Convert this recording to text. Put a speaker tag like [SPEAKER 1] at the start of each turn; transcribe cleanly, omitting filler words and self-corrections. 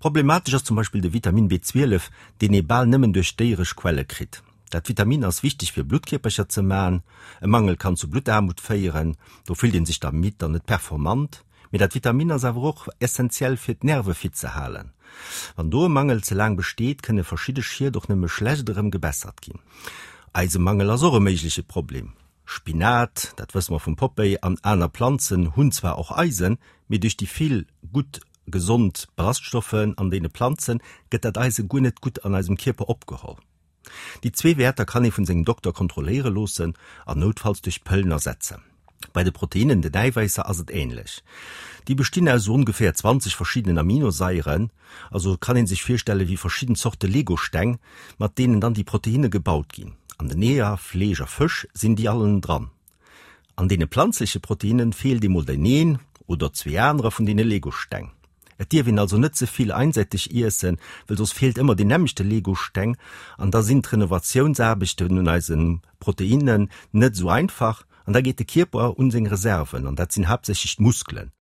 [SPEAKER 1] Problematesch ass zum Beispill de Vitamin B12, deen ee bal nëmmen duerch déieresch Quelle kritt. Dat Vitamin ass wichteg fir Bluttkierpercher ze man. E Mangel kann zu Bluttaarmut féieren, do fillt een sech da midd an net performant. Mee dat Vitamin ass awer och essentiell fir d'Nerve fit ze halen. Wann do e Mangel ze laang besteet, kënne verschidde Schied och nëmme schlecht erëm gebessert ginn. Eisemangel ass och e méigleche Problem. Spinat, dat wësse mer vum Popeye, an aner Planzen hunn zwar och Eisen, mee duerch déi vill gutt, gesond Ballaststoffe an deene Planze gëtt dat Eise guer net gutt an eisem Kierper opgeholl. Déi zwee Wäerter kann ee vun sengem Dokter kontrolléiere loossen an noutfalls duerch Pëllen ersetzen. Bei de Proteinnen, den Äiwäisser, ass et änlech. Déi bestinn aus esou ongeféier 20 verschiddenen Aminosaieren, also kann ee sech virstelle wéi verschidden Zorte Lego-Steng, mat deenen dann déi Proteinne gebaut ginn. An den Eeër, Fleesch a Fësch sinn déi allen dran. An deene planzleche Proteinnen feelt emol deen een oder zwee anerer vun deene Lego-Steng. Et dierf een also net ze vill einsäiteg iessen, well soss feelt ëmmer deen nämmlechte Lego-Steng an da sinn d'Renovatiounsaarbechten un eise Proteinnen net esou einfach an da geet de Kierper un seng Reserven an dat sinn haaptsächlech d'Muskelen.